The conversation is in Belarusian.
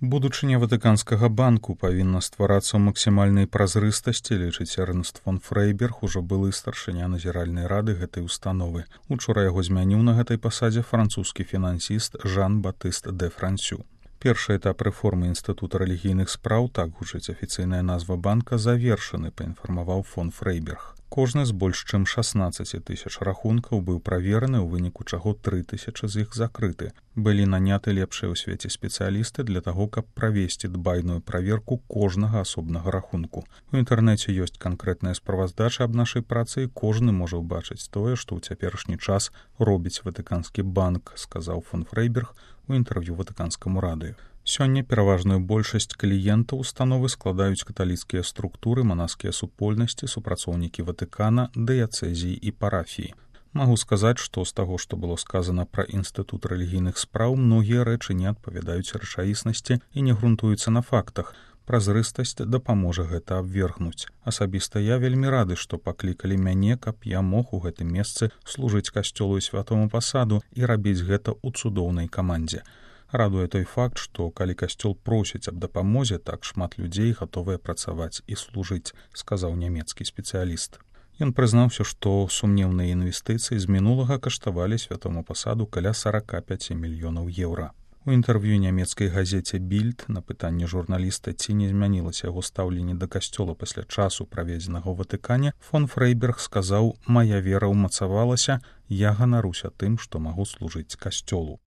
Будучыня Ватыканскага банку павінна стварацца ў максімальнай празрыстасці, лічыць Эрнст фон Фрейберг, ужо былы старшыня назіральнай рады гэтай установы. Учора яго змяніў на гэтай пасадзе французскі фінансіст Жан-Батыст де Франсю. Першы этап рэформы інстытута рэлігійных спраў, так гучыць афіцыйная назва банка, завершаны, паінфармаваў фон Фрейберг. Кожны з больш чым 16 тысяч рахункаў быў правераны, у выніку чаго 3000 з іх закрыты. Былі наняты лепшыя ў свеце спецыялісты для таго, каб правесці дбайную праверку кожнага асобнага рахунку. У інтэрнэце ёсць канкрэтная справаздача аб нашай працы, і кожны можа ўбачыць тое, што ў цяперашні час робіць Ватыканскі банк, сказаў фон Фрейберг у інтэрв'ю Ватыканскаму радыё. Сёння пераважную большасць кліентаў установы складаюць каталіцкія структуры, манаскія супольнасці, супрацоўнікі Ватыкана, дыяцэзіі і парафіі. Магу сказаць, што з таго, што было сказана пра інстытут рэлігійных спраў, многія рэчы не адпавядаюць рэчаіснасці і не грунтуюцца на фактах. Празрыстасць дапаможа гэта абвергнуць. Асабіста я вельмі рады, што паклікалі мяне, каб я мог у гэтым месцы служыць касцёлу і святому пасаду і рабіць гэта ў цудоўнай камандзе. Радуе той факт, што калі касцёл просіць аб дапамозе, так шмат людзей гатовыя працаваць і служыць, сказаў нямецкі спецыяліст. Ён прызнаўся, што сумнеўныя інвестыцыі з мінулага каштавалі святому пасаду каля 45 мільёнаў еўра. У інтэрв'ю нямецкай газеце «Більд» на пытанне журналіста, ці не змянілася яго стаўленне да касцёла пасля часу, праведзенага ў Ватыкане, фон Фрейберг сказаў: «Мая вера ўмацавалася, я ганаруся тым, што магу служыць касцёлу».